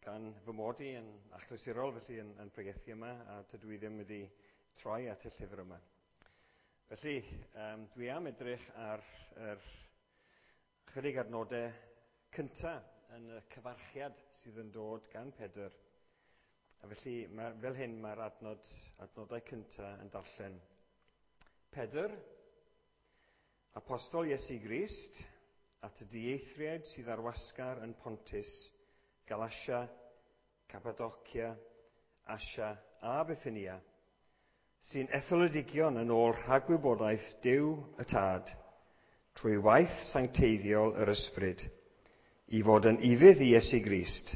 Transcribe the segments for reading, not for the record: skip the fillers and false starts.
Gan fy mod i yn achlysurol felly yn pregethu yma, a tydw i ddim wedi troi at y llyfr yma. Felly, dwi am edrych ar yr chydig adnodau cyntaf yn y cyfarchiad sydd yn dod gan Pedr. A felly, fel hyn mae'r adnodau cyntaf yn darllen. Pedr, Apostol Iesu Grist, at y dieithriaid sydd ar wasgar yn Pontus, Galatia, Cappadocia, Asia a Bithynia, sy'n etholedigion yn ôl rhagwybodaeth Duw y Tad, trwy waith sancteiddiol yr Ysbryd, i fod yn ufudd i Iesu Grist,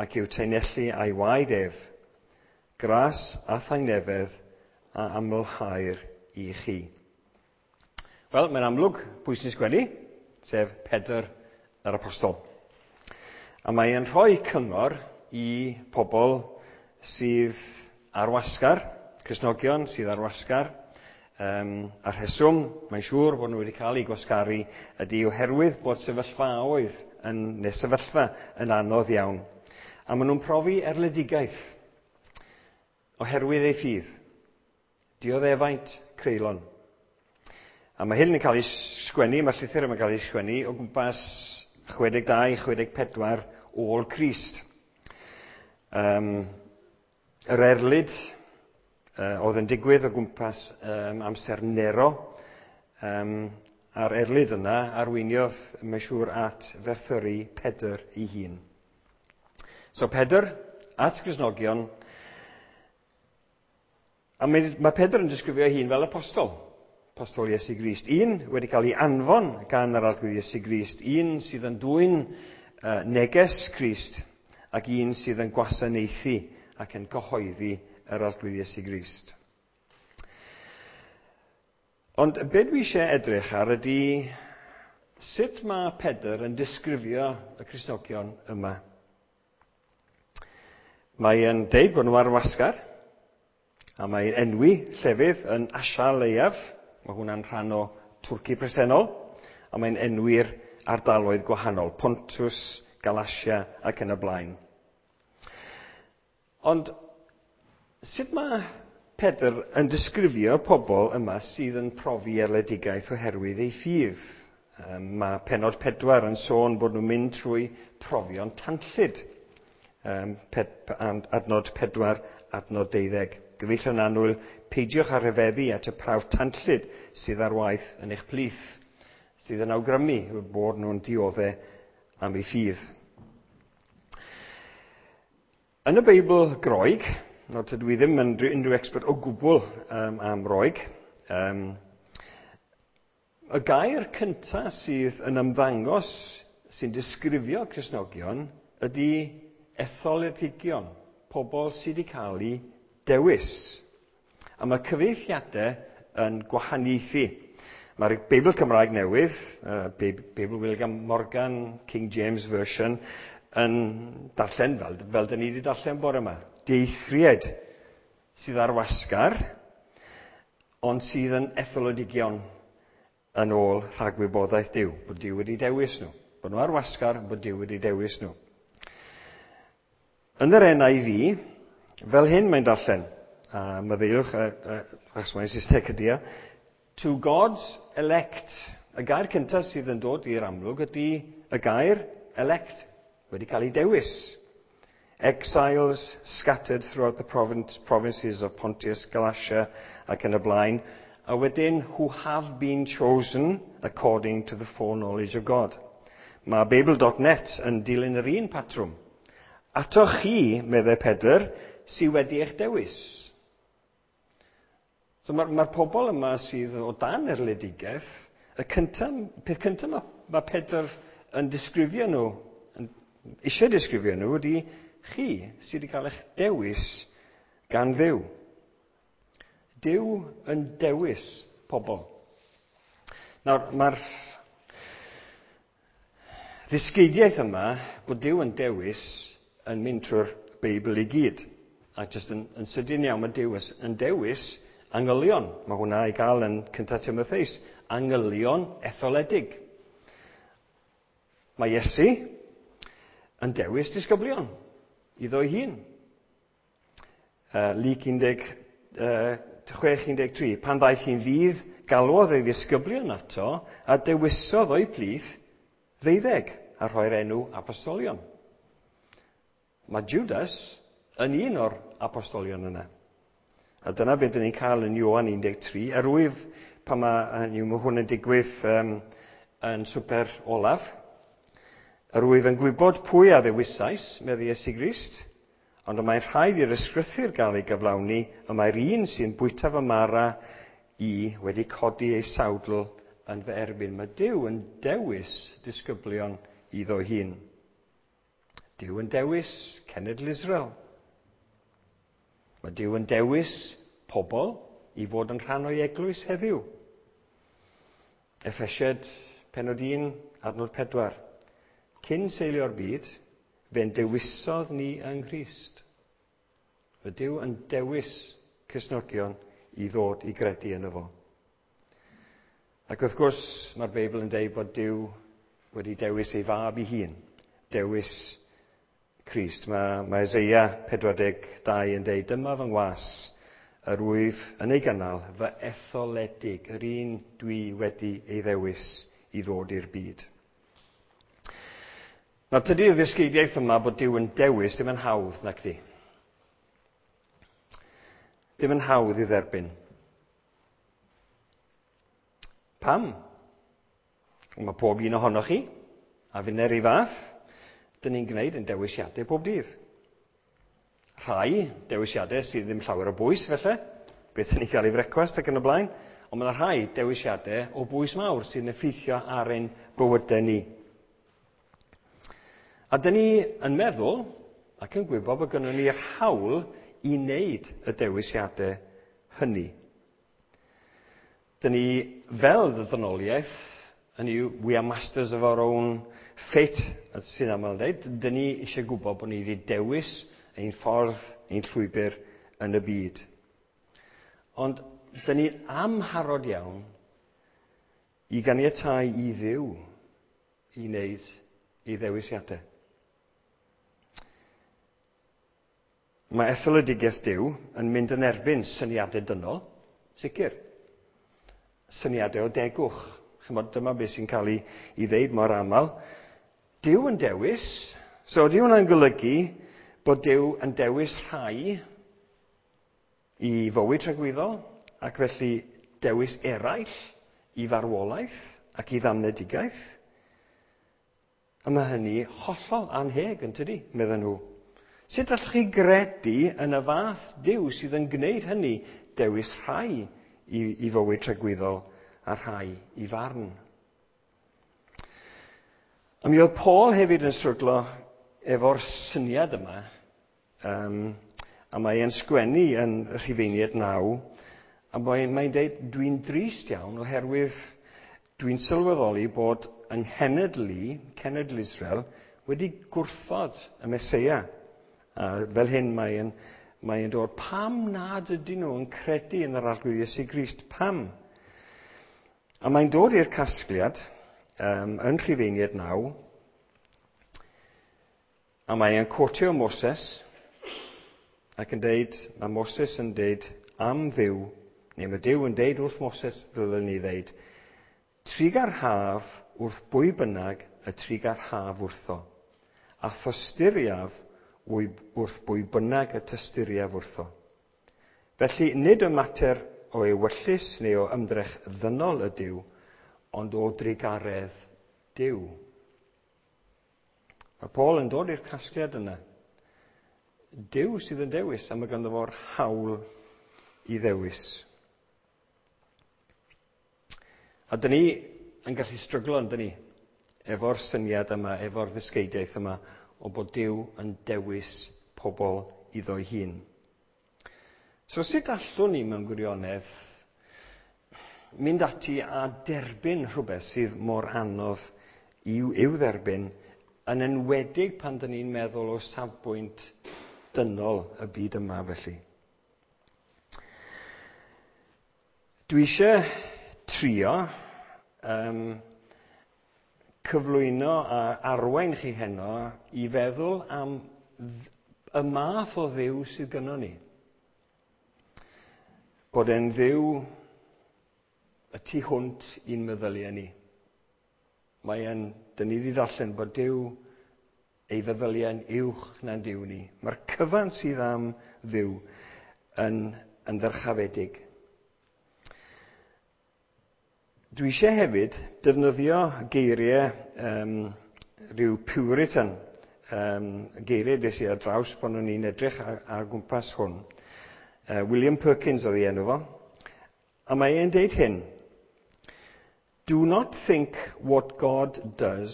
ac i'w taenellu a'i waed ef, gras a thangnefedd a amlhaer i chi. Wel, mae'n amlwg pwy sy'n sgwennu, sef Pedr yr Apostol. A mae'n rhoi cyngor i pobl sydd ar wasgar, Cristnogion sydd ar wasgar, a rheswm, mae'n siŵr bod nhw wedi cael eu gwasgaru ydy oherwydd bod sefyllfaoedd yn, neu sefyllfa yn anodd iawn. A maen nhw'n profi erledigaeth oherwydd eu ffydd. Dioddefaint creulon. A mae hyn yn cael ei sgwennu, mae'r llythyr yma'n cael ei sgwennu o gwmpas 62-64 ôl Crist. Yr erlid oedd yn digwydd o gwmpas amser Nero, a'r erlid yna arweiniodd, mae'n siŵr, at ferthyru Pedr ei hun. So Pedr, at Gristnogion, a mae Pedr yn disgrifio ei hun fel apostol. Apostol Iesu Grist. Un wedi cael ei anfon gan yr Arglwydd Iesu Grist. Un sydd yn dwyn neges Crist ac un sydd yn gwasanaethu ac yn cyhoeddi yr Arglwydd Iesu Grist. Ond be dwi eisiau edrych ar ydy sut mae Pedr yn disgrifio y Cristnogion yma. Mae'n deud bod nhw ar wasgar, a mae'n enwi llefydd yn Asia Leiaf. Mae hwnna'n rhan o Twrci presennol, a mae'n enwi'r ardaloedd gwahanol, Pontus, Galatia ac yn y blaen. Ond sut mae Pedr yn disgrifio pobl yma sydd yn profi erledigaeth oherwydd ei ffydd? Mae pennod 4 yn sôn bod nhw'n mynd trwy profion tanllyd. Adnod 4, adnod 12. Gyfeillion annwyl, peidiwch â rhyfeddu at y prawf tanllyd sydd ar waith yn eich plith, sydd yn awgrymu bod nhw'n diodde am ei ffydd. Yn y Beibl Groeg, nawr tydw i ddim yn unrhyw expert o gwbl am Roeg, y gair cyntaf sydd yn ymddangos sy'n disgrifio Cristnogion ydy etholedigion, pobl sydd wedi cael eu dewis. A mae cyfieithiadau yn gwahaniaethu. Mae'r Beibl Cymraeg Newydd, Beibl William Morgan, King James Version, yn darllen fel dyn ni wedi darllen bore yma. Dieithriaid sydd ar wasgar, ond sydd yn etholedigion yn ôl rhagwybodaeth Duw, bod Duw wedi dewis nhw. Bod nhw ar wasgar, bod Duw wedi dewis nhw. Yn yr NIV, fel hyn mae'n darllen, a maddeuwch, achos mae'n Saesneg ydy e, to God's elect. Y gair cyntaf sydd yn dod i'r amlwg ydy y gair elect, wedi cael ei dewis. Exiles scattered throughout the provinces of Pontus, Galatia ac yn y blaen, a wedyn who have been chosen according to the foreknowledge of God. Mae Bible.net yn dilyn yr un patrwm. Atoch chi, meddai Pedr, sydd wedi eich dewis. So mae'r pobl yma sydd o dan erledigaeth, y peth cyntaf mae Pedr yn disgrifio nhw, yn eisiau disgrifio nhw, ydy chi sydd wedi cael eich dewis gan Dduw. Duw yn dewis pobl. Nawr, mae'r ddysgeidiaeth yma bod Duw yn dewis yn mynd trwy'r Beibl i gyd. A jyst yn sydyn iawn mae Duw yn dewis angylion. Mae hwnna i gael yn 1 Timotheus. Angylion etholedig. Mae Iesu yn dewis disgyblion. iddo'i hun. Luc 16:13. Pan ddaeth hi'n ddydd, galwodd ei ddisgyblion ato a dewisodd o'i plith 12 a rhoi'r enw apostolion. Mae Judas yn un o'r apostolion yna. A dyna beth dyn ni'n cael yn Ioan 13. Er wyf pan mae hwn yn digwydd yn swper olaf, yr wyf yn gwybod pwy a ddewisais, medde Iesu Grist, ond y mae'n rhaid i'r ysgrythur gael ei gyflawni, y mae'r un sy'n bwyta fy mara i wedi codi ei sawdl yn fy erbyn. Mae Duw yn dewis disgyblion iddo hun. Duw yn dewis cenedl Israel. Mae Duw yn dewis pobl i fod yn rhan o'i eglwys heddiw. Effesiaid pennod 1, adnod 4. Cyn seilio'r byd, fe'n dewisodd ni yng Nghrist. Mae Duw yn dewis Cristnogion i ddod i gredu yno fo. Ac wrth gwrs, mae'r Beibl yn deud bod Duw wedi dewis ei fab ei hun, dewis Crist. Mae Eseia 42 yn deud, dyma fy ngwas, yr wyf yn ei gynnal, fy etholedig, yr un dwi wedi ei ddewis i ddod i'r byd. Nawr, tydi'r ddysgeidiaeth yma bod Duw yn dewis ddim yn hawdd, nac di. Ddim yn hawdd i dderbyn. Pam? Mae pob un ohonoch chi, a finner i fath, dyn ni'n gwneud yn dewisiadau pob dydd. Rhai dewisiadau sydd ddim llawer o bwys, felly, beth dyn ni'n cael ei frecwast ac yn y blaen, ond mae yna rhai dewisiadau o bwys mawr sy'n effeithio ar ein bywydau ni. A dyn ni yn meddwl ac yn gwybod bod gynnon ni'r hawl i wneud y dewisiadau hynny. Dyn ni fel ddynoliaeth, hynny yw, we are masters of our own fate, sy'n aml yn dweud, dyn ni eisiau gwybod bod ni wedi dewis ein ffordd, ein llwybr yn y byd. Ond dyn ni'n amharod iawn i ganiatáu i Dduw i wneud ei ddewisiadau. Mae etholedigaeth Duw yn mynd yn erbyn syniadau dynol, sicr. Syniadau o degwch. Chymod, dyma beth sy'n cael ei ddeud mor aml. Duw yn dewis, so ydy hwnna'n golygu bod Duw yn dewis rhai i fywyd tragwyddol, ac felly dewis eraill i farwolaeth ac i ddamnedigaeth? A mae hynny hollol anheg, yn tydi, medden nhw. Sut allwch chi gredu yn y fath Duw sydd yn gwneud hynny, dewis rhai i fywyd tragwyddol a rhai i farn? A mi oedd Paul hefyd yn stryglo efo'r syniad yma, a mae e'n sgwennu yn Rhufeiniaid 9, a mae'n deud, dwi'n drist iawn oherwydd dwi'n sylweddoli bod yng nghenedl i, cenedl Israel, wedi gwrthod y Meseia. A fel hyn mae'n dod, pam nad ydyn nhw yn credu yn yr Arglwydd Iesu Grist? Pam? A mae'n dod i'r casgliad yn Rhufeiniaid 9, a mae'n quotio Moses ac yn deud, mae Moses yn deud am Dduw, neu mae Duw yn deud wrth Moses, ddylen ni ddeud, trugarhaf wrth bwy bynnag y trugarhaf wrtho, a thosturiaf wrth bwy bynnag y tosturiaf wrtho. Felly, nid y mater o ewyllys neu o ymdrech ddynol ydyw, ond o drugaredd Duw. Mae Paul yn dod i'r casgliad yna. Duw sydd yn dewis, a mae ganddo fo'r hawl i ddewis. A dyn ni yn gallu stryglo, yn dyn ni, efo'r syniad yma, efo'r ddysgeidiaeth yma, o bod Duw yn dewis pobl iddo'i hun. So sut allwn ni mewn gwirionedd mynd ati a derbyn rhywbeth sydd mor anodd i'w dderbyn, yn enwedig pan dyn ni'n meddwl o safbwynt dynol y byd yma felly. Dwi eisiau trio cyflwyno a arwain chi heno i feddwl am y math o Dduw sydd gynnon ni. Bod e'n Dduw y tu hwnt i'n meddyliau ni. Mae e'n, dyn ni wedi ddarllen bod Duw ei feddyliau'n uwch na'n Duw ni. Mae'r cyfan sydd am Dduw yn ddyrchafedig. Dwi eisiau hefyd defnyddio geiriau rhyw Puritan, geiriau des i ar draws pan o'n i'n edrych ar gwmpas hwn. William Perkins oedd ei enw fo. A mae e'n deud hyn: "Do not think what God does.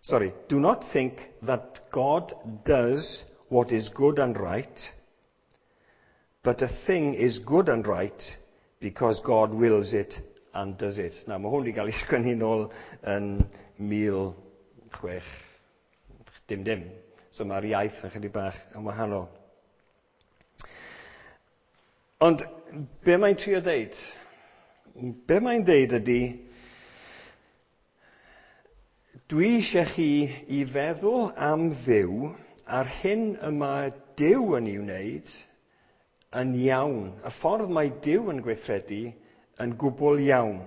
Sorry, do not think that God does what is good and right, but a thing is good and right because God wills it and does it." Na, mae hwn wedi cael ei sgwennu nôl yn 1600 dim. So mae'r iaith yn chydig bach yn wahanol. Ond be mae'n trio ddeud? Be mae'n ddeud ydy, dwi eisiau chi i feddwl am Dduw a'r hyn y mae Duw yn ei wneud yn iawn. Y ffordd mae Duw yn gweithredu yn gwbl iawn.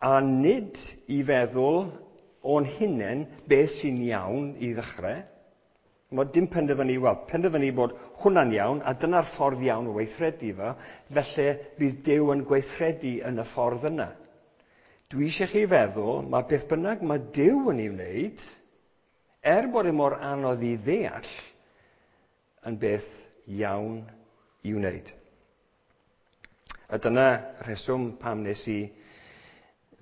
A nid i feddwl o'n hunain beth sy'n iawn i ddechrau. Mae dim penderfynu, wel, penderfynu bod hwnna'n iawn, a dyna'r ffordd iawn o weithredu fo, felly bydd Duw yn gweithredu yn y ffordd yna. Dwi eisiau chi feddwl, mae beth bynnag mae Duw yn ei wneud, er bod e mor anodd i ddeall, yn beth iawn i wneud. A dyna rheswm pam nes i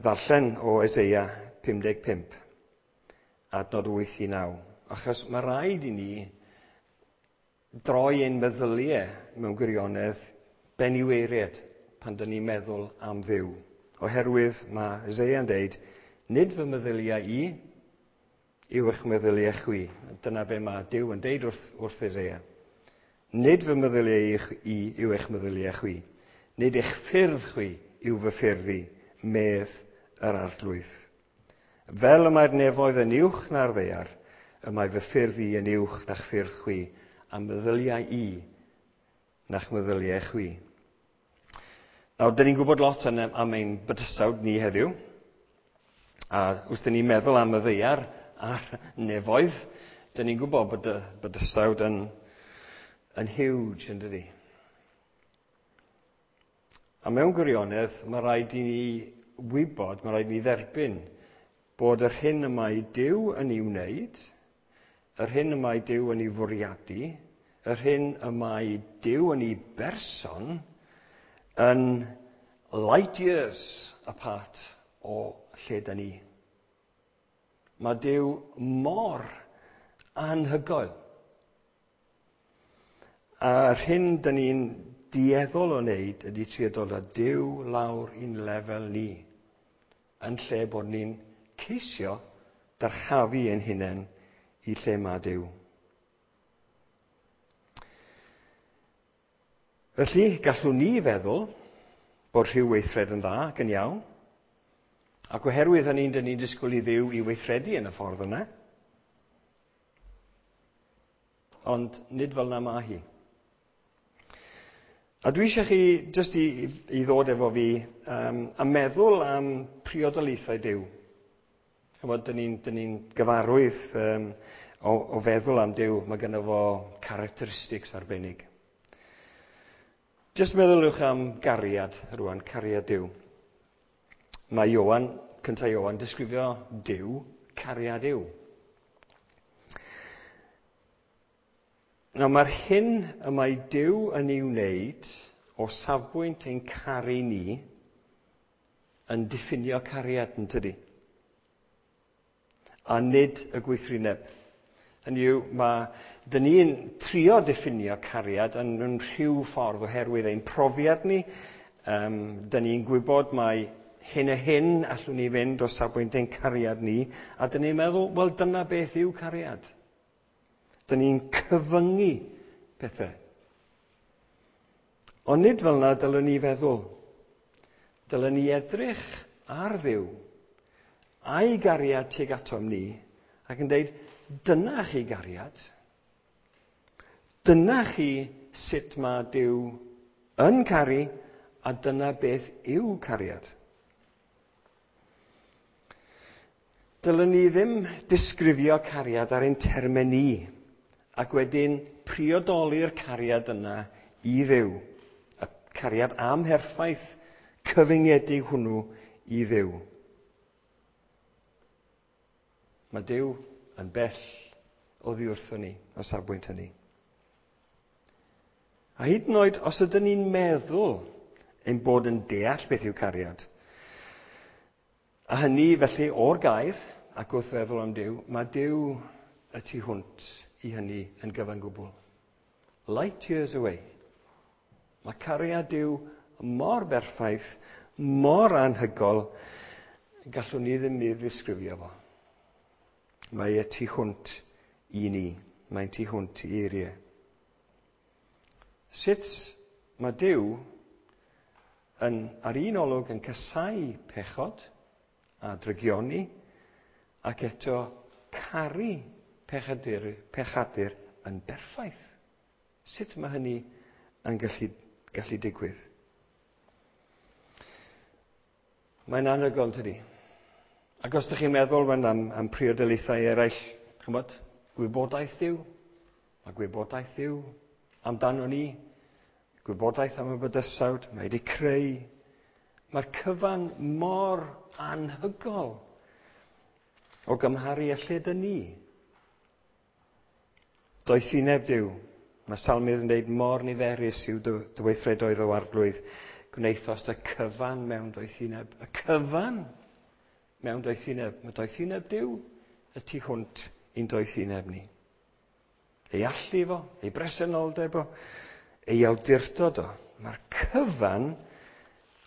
ddarllen o Eseia 55, adnod 8 i 9. Achos mae rhaid i ni droi ein meddyliau mewn gwirionedd ben i waered pan dyn ni'n meddwl am Dduw. Oherwydd mae Eseia'n deud, "Nid fy meddyliau i yw eich meddyliau chwi." Dyna be mae Duw yn deud wrth Eseia. "Nid fy meddyliau i yw eich meddyliau chwi. Nid eich ffyrdd chwi yw fy ffyrdd i, medd yr Arglwydd. Fel y mae'r nefoedd yn uwch na'r ddaear, y mae fy ffyrdd i yn uwch na'ch ffyrdd chwi, a meddyliau i na'ch meddyliau chwi." Nawr, dyn ni'n gwybod lot am ein bydysawd ni heddiw. A wrth dyn ni'n meddwl am y ddaear a'r nefoedd, dyn ni'n gwybod bod y bydysawd yn huge, yn dydi? A mewn gwirionedd, mae rhaid i ni wybod, mae rhaid i ni dderbyn bod yr hyn y mae Duw yn ei wneud, yr hyn y mae Duw yn ei fwriadu, yr hyn y mae Duw yn ei berson yn light years apart o lle da ni. Mae Duw mor anhygoel. A'r hyn da ni'n dueddol o wneud ydy trio dod â Duw lawr i'n lefel ni, yn lle bod ni'n ceisio dyrchafu ein hunain i lle mae Duw. Felly, gallwn ni feddwl bod rhyw weithred yn dda ac yn iawn, ac oherwydd hynny, dyn ni'n disgwyl i Dduw i weithredu yn y ffordd yna. Ond nid fel 'na mae hi. A dwi eisiau chi jyst i ddod efo fi a meddwl am priodoliaethau Duw. Chymod, dyn ni'n ni gyfarwydd o feddwl am Duw, mae gynno fo characteristics arbennig. Jyst meddyliwch am gariad rwan, cariad Duw. Mae Ioan, cynta Ioan, disgrifio Duw, cariad yw. Nawr, mae'r hyn y mae Duw yn ei wneud o safbwynt ein caru ni yn diffinio cariad, yn tydi? A nid y gweithrineb. Hynny yw, dyn ni'n trio diffinio cariad yn mewn rhyw ffordd oherwydd ein profiad ni. Dyn ni'n gwybod mai hyn a hyn allwn ni fynd o safbwynt ein cariad ni, a dyn ni'n meddwl, wel, dyna beth yw cariad. Dyn ni'n cyfyngu pethau. Ond nid fel yna dylwn ni feddwl. Dylwn ni edrych ar Dduw a'i gariad tuag atom ni ac yn dweud, "Dyna chi gariad." Dyna chi sut mae Duw yn caru, a dyna beth yw cariad. Dylwn ni ddim disgrifio cariad ar ein termau ni, ac wedyn priodoli'r cariad yna i Dduw. Y cariad amherffaith cyfyngedig hwnnw i Dduw. Mae Duw yn bell oddi wrthon ni, o safbwynt hynny. A hyd yn oed os ydyn ni'n meddwl ein bod yn deall beth yw cariad, a hynny felly o'r gair ac wrth feddwl am Duw, mae Duw y tu hwnt i hynny yn gyfan gwbl. Light years away. Mae cariad Duw mor berffaith, mor anhygol, gallwn ni ddim ei ddisgrifio fo. Mae y tu hwnt i ni. Mae'n tu hwnt i eiriau. Sut mae Duw yn, ar un olwg yn casáu pechod a drygioni, ac eto caru pechadur yn berffaith. Sut mae hynny yn gallu digwydd? Mae'n anhygoel, tydi? Ac os ydych chi'n meddwl am priodolaethau eraill, ch'mod, gwybodaeth Duw, mae gwybodaeth Duw amdano ni, gwybodaeth am y bydysawd, mae wedi creu. Mae'r cyfan mor anhygoel o gymharu â lle dyn ni. Doethineb Duw. Mae Salmydd yn dweud mor niferus yw dy weithredoedd o Arglwydd. Gwnaethost y cyfan mewn doethineb. Y cyfan mewn doethineb. Mae doethineb Duw y tu hwnt i'n doethineb ni. Ei allu fo, ei bresenoldeb o, ei awdurdod o. Mae'r cyfan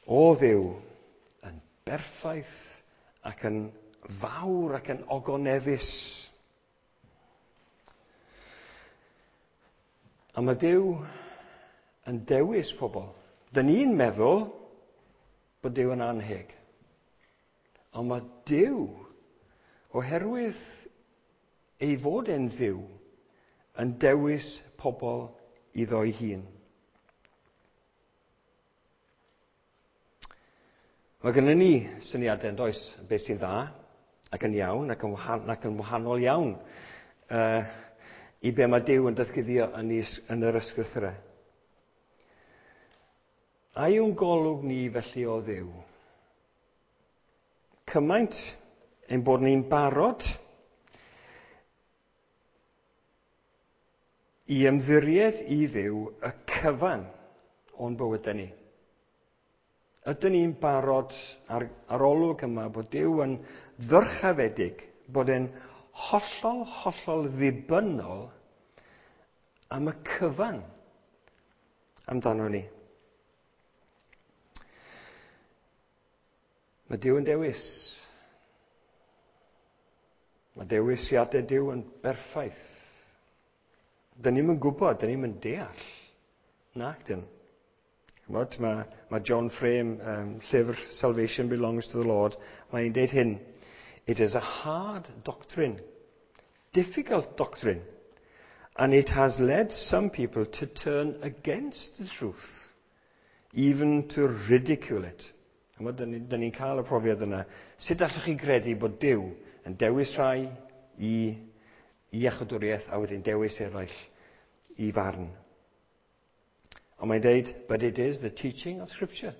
o Dduw yn berffaith ac yn fawr ac yn ogoneddus. A mae Duw yn dewis pobl. Dyn ni'n meddwl bod Duw yn anheg. Ond mae Duw, oherwydd ei fod e'n Dduw, yn dewis pobl iddo'i hun. Mae gennym ni syniadau yn does, beth sy'n dda ac yn iawn ac yn wahanol iawn i be mae Duw yn datguddio yn yr ysgrythurau. A yw'n golwg ni felly o Dduw? Cymaint ein bod ni'n barod i ymddiried i Dduw y cyfan o'n bywydau ni. Ydyn ni'n barod ar olwg yma bod Duw yn ddyrchafedig, bod e'n hollol, hollol ddibynnol am y cyfan amdano ni. Mae Duw yn dewis. Mae dewisiadau Duw yn berffaith. Dyn ni'm yn gwybod, dyn ni'm yn deall. Nac dyn. Ch'mod, mae John Frame, llyfr Salvation Belongs to the Lord, mae'n deud hyn. It is a hard doctrine, difficult doctrine, and it has led some people to turn against the truth, even to ridicule it. Ch'mod, dyn ni'n cael y profiad yna. Sut allwch chi gredu bod Duw yn dewis rhai i iachawdwriaeth a wedyn dewis eraill i farn? Ond mae'n deud, but it is the teaching of Scripture.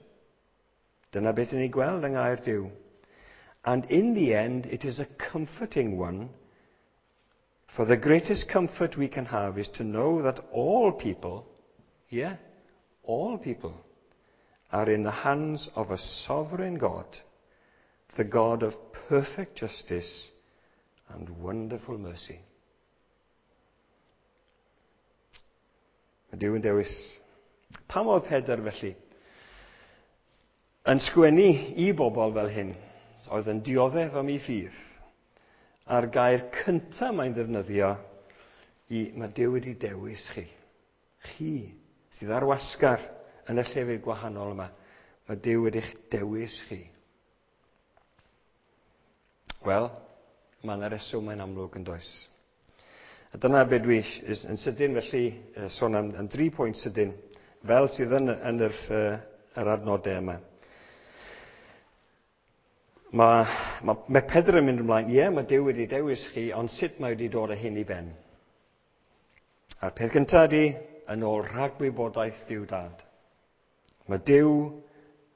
Dyna beth ni'n gweld yng ngair Duw. And in the end, it is a comforting one. For the greatest comfort we can have is to know that all people, yeah, all people, are in the hands of a sovereign God, the God of perfect justice and wonderful mercy. Mae Duw yn dewis. Pam oedd Pedr felly yn sgwennu i bobl fel hyn, oedd yn dioddef am ei ffydd, a'r gair cyntaf mae'n ddefnyddio i mae Duw wedi dewis chi. Chi sydd ar wasgar yn y llefydd gwahanol yma. Mae Duw wedi'ch dewis chi. Wel, mae yna reswm mae'n amlwg yn does. A dyna be dwi yn sydyn felly, sôn am 3 pwynt sydyn, fel sydd yn yr adnodau yma. Mae Pedr yn mynd ymlaen, ie, mae Duw wedi dewis chi, ond sut mae wedi dod â hyn i ben? A'r peth gyntaf ydy, yn ôl rhagwybodaeth Duw Dad. Mae Duw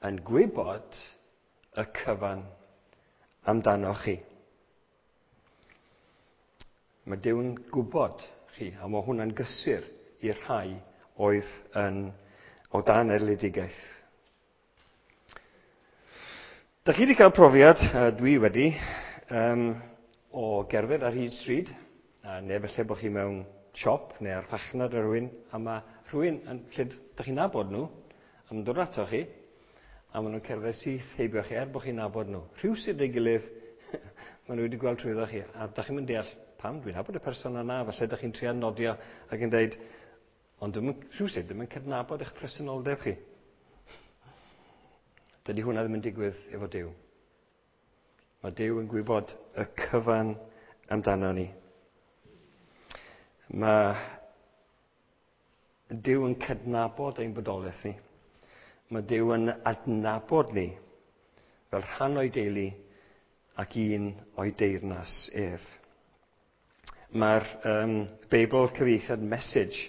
yn gwybod y cyfan amdano chi. Mae Duw yn gwybod chi, a mae hwnna'n gysur i'r rhai oedd yn o dan erledigaeth. Dach chi wedi cael profiad, dwi wedi, o gerdded ar hyd stryd, neu falle bod chi mewn siop neu ar farchnad ar rhywun, a mae rhywun yn, lle dach chi'n nabod nhw, a ma'n dod ato chi, a maen nhw'n cerdded syth heibio chi, er bod chi'n nabod nhw. Rhywsut ei gilydd, maen nhw wedi gweld trwyddo chi, a dach chi'n mynd deall pam dwi'n nabod y person yna, falle dach chi'n trio nodio ac yn deud, ond rhywsut ddim yn cydnabod eich presenoldeb chi. Dydy hwnna ddim yn digwydd efo Duw. Mae Duw yn gwybod y cyfan amdano ni. Mae Duw yn cydnabod ein bodolaeth ni. Mae Duw yn adnabod ni fel rhan o'i deulu ac un o'i deyrnas ef. Mae'r Beibl cyfieithiad Message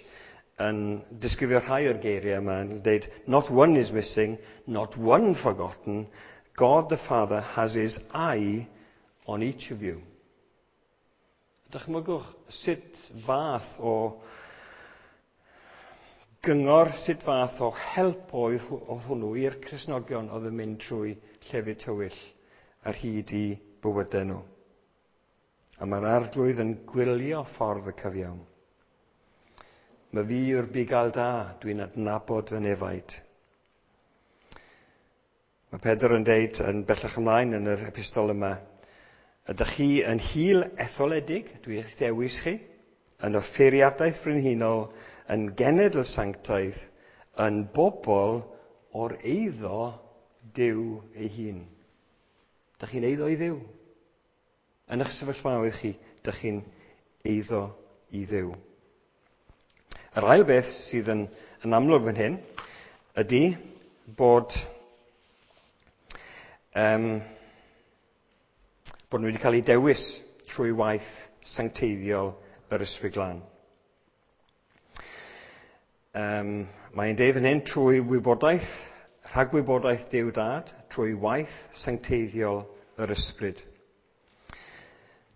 yn disgrifio rhai o'r geiriau yma yn dweud, "Not one is missing, not one forgotten. God the Father has his eye on each of you." Dychmygwch sut fath o gyngor, sut fath o help oedd hwnnw i'r Cristnogion oedd yn mynd trwy llefydd tywyll ar hyd i bywydau nhw. A mae'r Arglwydd yn gwylio ffordd y cyfiawn. Mae fi yw'r bugail da, dwi'n adnabod fy nefaid. Mae Pedr yn deud yn bellach ymlaen yn yr epistol yma, ydych chi yn hil etholedig, dwi eich dewis chi, yn offeiriadaeth frenhinol, yn genedl sanctaidd, yn bobl o'r eiddo Duw ei hun. Dych chi'n eiddo i Dduw. Yn eich sefyllfaoedd chi, dych chi'n eiddo i Dduw. Yr ail beth sydd yn amlwg fan hyn ydy bod nhw wedi cael eu dewis trwy waith sancteiddiol yr Ysbryd Glân. Mae'n deud fan hyn trwy wybodaeth, rhagwybodaeth Duw Dad, trwy waith sancteiddiol yr Ysbryd.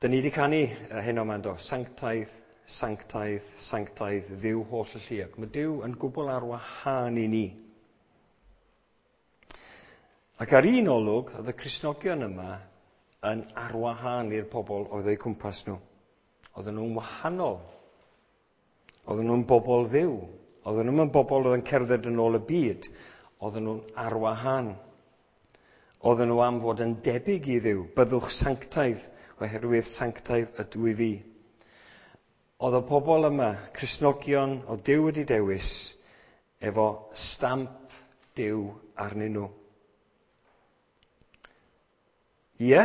Dyn ni wedi canu heno yma, do, sanctaidd, sanctaidd, sanctaidd, Dduw holl y lluog. Mae Duw yn gwbl ar wahân i ni. Ac ar un olwg, oedd y Cristnogion yma yn arwahân i'r pobl oedd eu cwmpas nhw. Oedden nhw'n wahanol. Oedden nhw'n bobl Dduw. Oedden nhw'n bobl oedd yn cerdded yn ôl y byd. Oedden nhw'n arwahân. Oedden nhw am fod yn debyg i Dduw. Byddwch sanctaidd, oherwydd sanctaidd ydw i fi. Oedd y pobl yma, Cristnogion, o Duw wedi dewis, efo stamp Duw arnyn nhw. Ie,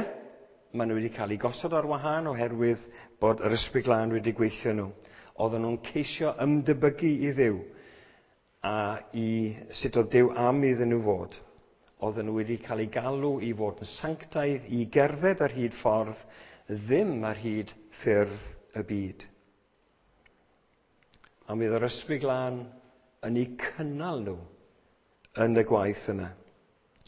maen nhw wedi cael eu gosod ar wahân oherwydd bod yr Ysbryd Glân wedi gweithio nhw. Oedden nhw'n ceisio ymdebygu i Dduw a i sut oedd Duw am iddyn nhw fod. Oedden nhw wedi cael eu galw i fod yn sanctaidd, i gerdded ar hyd ffordd, ddim ar hyd ffyrdd y byd. A mi oedd yr Ysbryd Glân yn eu cynnal nhw yn y gwaith yna.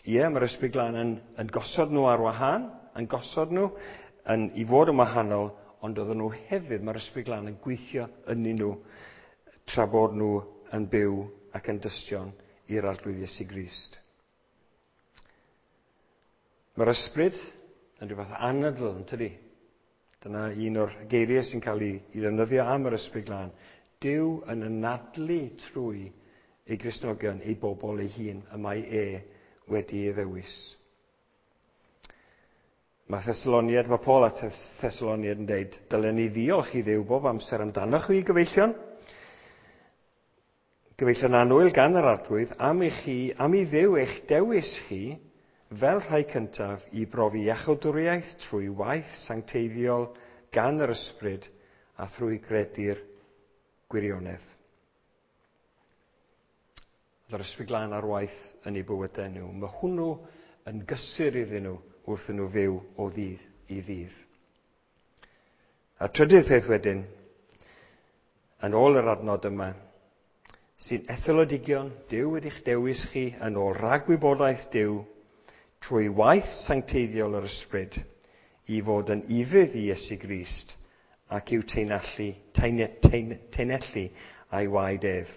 Ie, mae'r Ysbryd Glân yn gosod nhw ar wahân, yn gosod nhw i fod yn wahanol, ond oedden nhw hefyd, mae'r Ysbryd Glân yn gweithio ynddyn nhw tra bod nhw yn byw ac yn dystion i'r Arglwydd Iesu Grist. Mae'r Ysbryd yn rhywbeth anadl, yn tydi? Dyna un o'r geiriau sy'n cael ei ddefnyddio am yr Ysbryd Glân. Duw yn anadlu trwy ei Gristnogion, ei bobl ei hun, y mae e wedi ei ddewis. Mae Thessaloniad, mae Paul at Thessaloniad yn deud, dylen ni ddiolch i Dduw bob amser amdanoch chi, gyfeillion. Gyfeillion annwyl gan yr Arglwydd, am i Dduw eich dewis chi fel rhai cyntaf i brofi iachawdwriaeth trwy waith sancteiddiol gan yr Ysbryd a thrwy gredu'r gwirionedd. Oedd yr Ysbryd Glân ar waith yn eu bywydau nhw. Mae hwnnw yn gysur iddyn nhw wrth nhw fyw o ddydd i ddydd. A'r trydydd peth wedyn, yn ôl yr adnod yma, sy'n etholodigion, Duw wedi'ch dewis chi yn ôl rhagwybodaeth Duw trwy waith sancteiddiol yr Ysbryd i fod yn ufudd i Iesu Grist ac i'w teinellu a'i waed ef.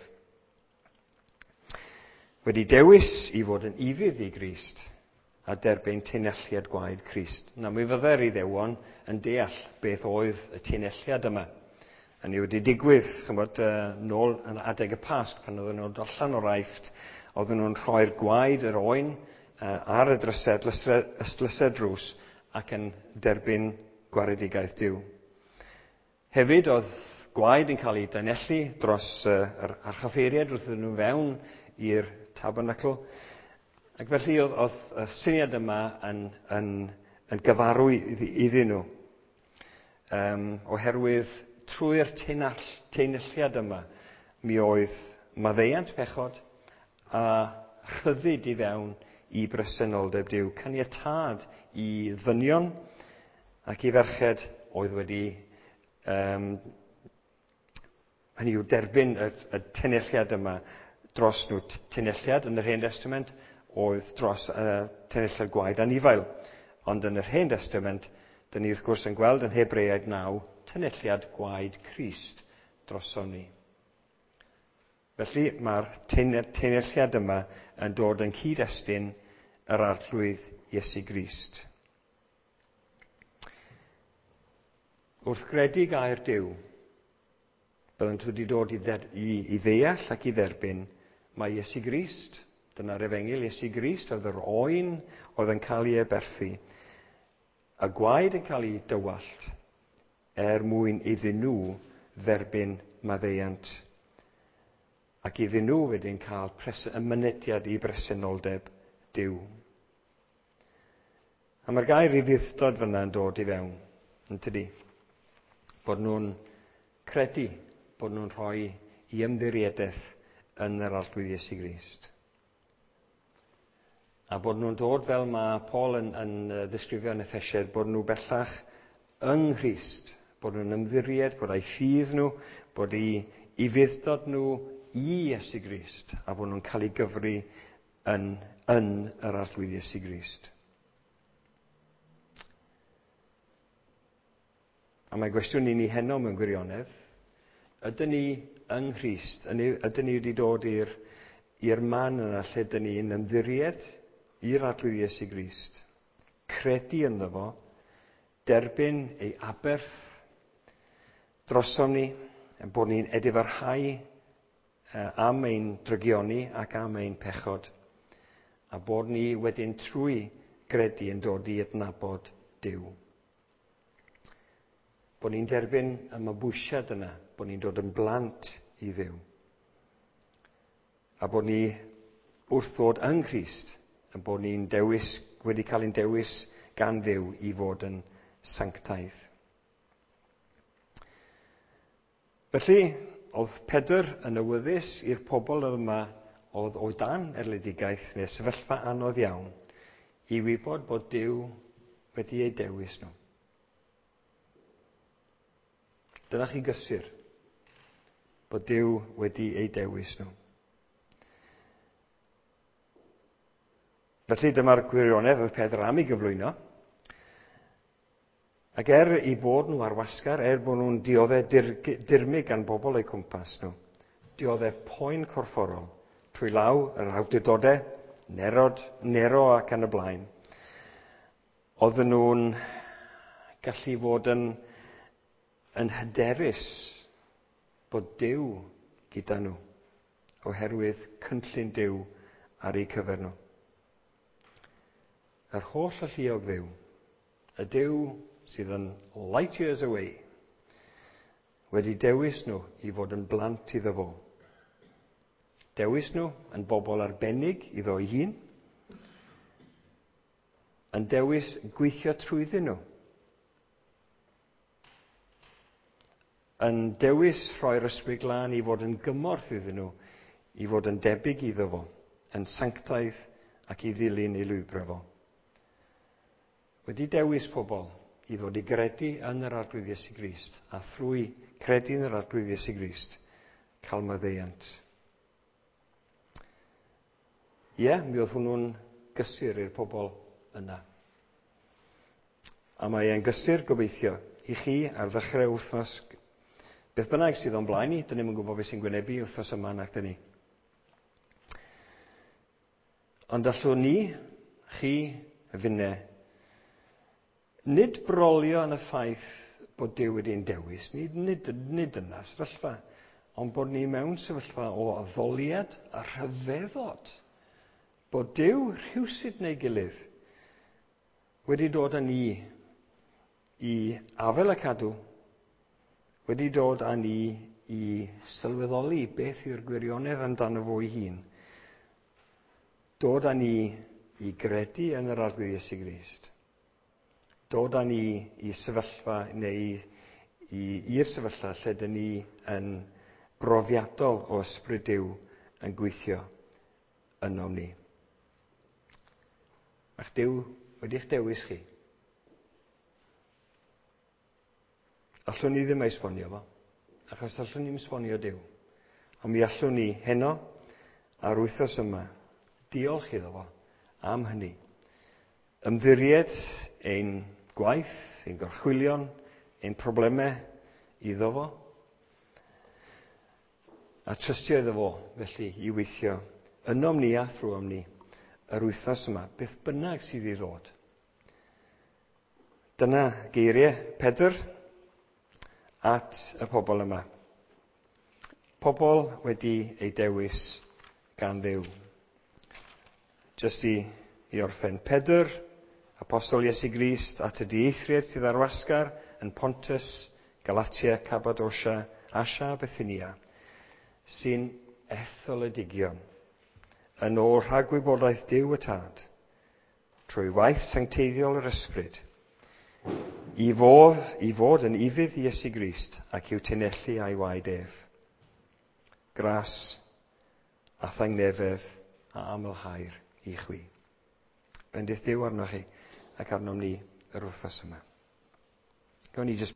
Wedi dewis i fod yn ufudd i Grist a derbyn teinelliad gwaed Crist. Na, mi fydde'r Iddewon yn deall beth oedd y teinelliad yma. A ni wedi digwydd, chymod, nôl yn adeg y Pasg, pan oedden nhw'n dod allan o'r Aifft, oedden nhw'n rhoi'r gwaed yr oen ar y drysau, ystlysau drws, ac yn derbyn gwaredigaeth Duw. Hefyd, oedd gwaed yn cael ei danellu dros yr archoffeiriaid wrth iddyn nhw fewn i'r tabernacl. Ac felly oedd y syniad yma yn gyfarwydd iddyn nhw. Oherwydd trwy'r teinelliad yma, mi oedd maddeuant pechod a rhyddid i fewn i bresenoldeb Duw. Caniatâd i ddynion ac i ferched oedd wedi hynny yw derbyn y teinelliad yma dros nhw. Teinelliad yn yr Hen Destament oedd dros teinelliad gwaed anifail. Ond yn yr Hen Destament, dyn ni wrth gwrs yn gweld yn Hebreaid 9, teinelliad gwaed Crist droson ni. Felly mae'r teinelliad yma yn dod yn cyd-destun yr Arglwydd Iesu Grist. Wrth gredu gair Duw, byddant wedi dod i ddeall ac i dderbyn mae Iesu Grist, dyna'r efengyl Iesu Grist, oedd yr oen oedd yn cael ei aberthu, a gwaed yn cael ei dywallt er mwyn iddyn nhw dderbyn maddeuant ac iddyn nhw wedyn cael y mynediad i bresenoldeb Duw. A mae'r gair ufudd-dod fyna yn dod i fewn, yn tydi? Bod nhw'n credu, bod nhw'n rhoi i ymddiriedaeth yn yr Arglwydd Iesu Grist. A bod nhw'n dod fel mae Paul yn ddisgrifio yn Effesiaid, bod nhw bellach yng Nghrist, bod nhw'n ymddiried, bod eu ffydd nhw, bod eu ufudd-dod nhw i Iesu Grist, a bod nhw'n cael ei gyfri yn yr Arglwydd Iesu Grist. A mae gwestiwn i ni heno mewn gwirionedd, ydyn ni yng Nghrist, ydyn ni wedi dod i'r man yna lle ydyn ni'n ymddiried i'r Arglwydd Iesu Grist, credu ynddo fo, derbyn ei aberth drosom ni, bod ni'n edifarhau am ein drygioni ac am ein pechod, a bod ni wedyn trwy gredu yn dod i adnabod Duw. Bod ni'n derbyn y mabwysiad yna, bod ni'n dod yn blant i Dduw. A bod ni wrth ddod yng Nghrist, yn bod ni'n dewis, wedi cael ein dewis gan Dduw i fod yn sanctaidd. Felly, oedd Pedr yn awyddus i'r pobl yma oedd o dan erledigaeth neu sefyllfa anodd iawn i wybod bod Duw wedi eu dewis nhw. Dyna chi gysur bod Duw wedi eu dewis nhw. Felly dyma'r gwirionedd oedd Pedr am ei gyflwyno. Ac er eu bod nhw ar wasgar, er bod nhw'n dioddef dirmyg gan bobl eu cwmpas nhw, dioddef poen corfforol trwy law yr awdurdodau, Nero ac yn y blaen, oedden nhw'n gallu fod yn hyderus bod Duw gyda nhw, oherwydd cynllun Duw ar eu cyfer nhw. Yr holl alluog Dduw, y Duw sydd yn light years away, wedi dewis nhw i fod yn blant iddo fo. Dewis nhw yn bobl arbennig iddo ei hun, yn dewis gweithio trwyddyn nhw. yn dewis rhoi'r Ysbryd Glân i fod yn gymorth iddyn nhw, i fod yn debyg iddo fo, yn sanctaidd ac i ddilyn ei lwybrau fo. Wedi dewis pobl i ddod i gredu yn yr Arglwydd Iesu Grist, a thrwy credu yn yr Arglwydd Iesu Grist, cael maddeuant. Ie, mi oedd hwnnw'n gysur i'r pobl yna. A mae e'n gysur gobeithio i chi ar ddechrau wythnos, beth bynnag sydd o'n blaen ni, dyn ni'm yn gwybod beth sy'n gwynebu wythnos yma nac dyn ni. Ond allwn ni, chi, finne, nid brolio yn y ffaith bod Duw wedi'n dewis, nid yna sefyllfa, ond bod ni mewn sefyllfa o addoliad a rhyfeddod, bod Duw rhywsut neu gilydd wedi dod â ni i afael a cadw, wedi dod â ni i sylweddoli beth yw'r gwirionedd amdano fo ei hun, dod â ni i gredu yn yr Arglwydd Iesu Grist, dod â ni i sefyllfa neu i'r sefyllfa lle dyn ni yn brofiadol o ysbryd Duw yn gweithio ynom ni. Mae'ch Duw wedi'ch dewis chi. Allwn ni ddim esbonio fo, achos allwn ni ddim esbonio Duw. Ond mi allwn ni heno a'r wythnos yma diolch iddo fo am hynny. Ymddiried ein gwaith, ein gorchwylion, ein problemau iddo fo, a trystio iddo fo, felly, i weithio ynom ni a thrwom ni yr wythnos yma, beth bynnag sydd i ddod. Dyna geiriau Pedr at y pobl yma. Pobl wedi ei dewis gan Dduw. Jyst i orffen, Pedr, Apostol Iesu Grist, at y dieithriad sydd ar wasgar yn Pontus, Galatia, Cappadocia, Asia a Bithynia, sy'n etholedigion, yn ôl rhagwybodaeth Duw y Tad, trwy waith sancteiddiol yr Ysbryd, i fod yn ufudd i Iesu Grist ac i'w tinellu a'i waed ef. Gras a thangnefedd a amlhair i chwi. Bendith Duw arnoch chi ac arnom ni yr wythnos yma. Gawn ni jyst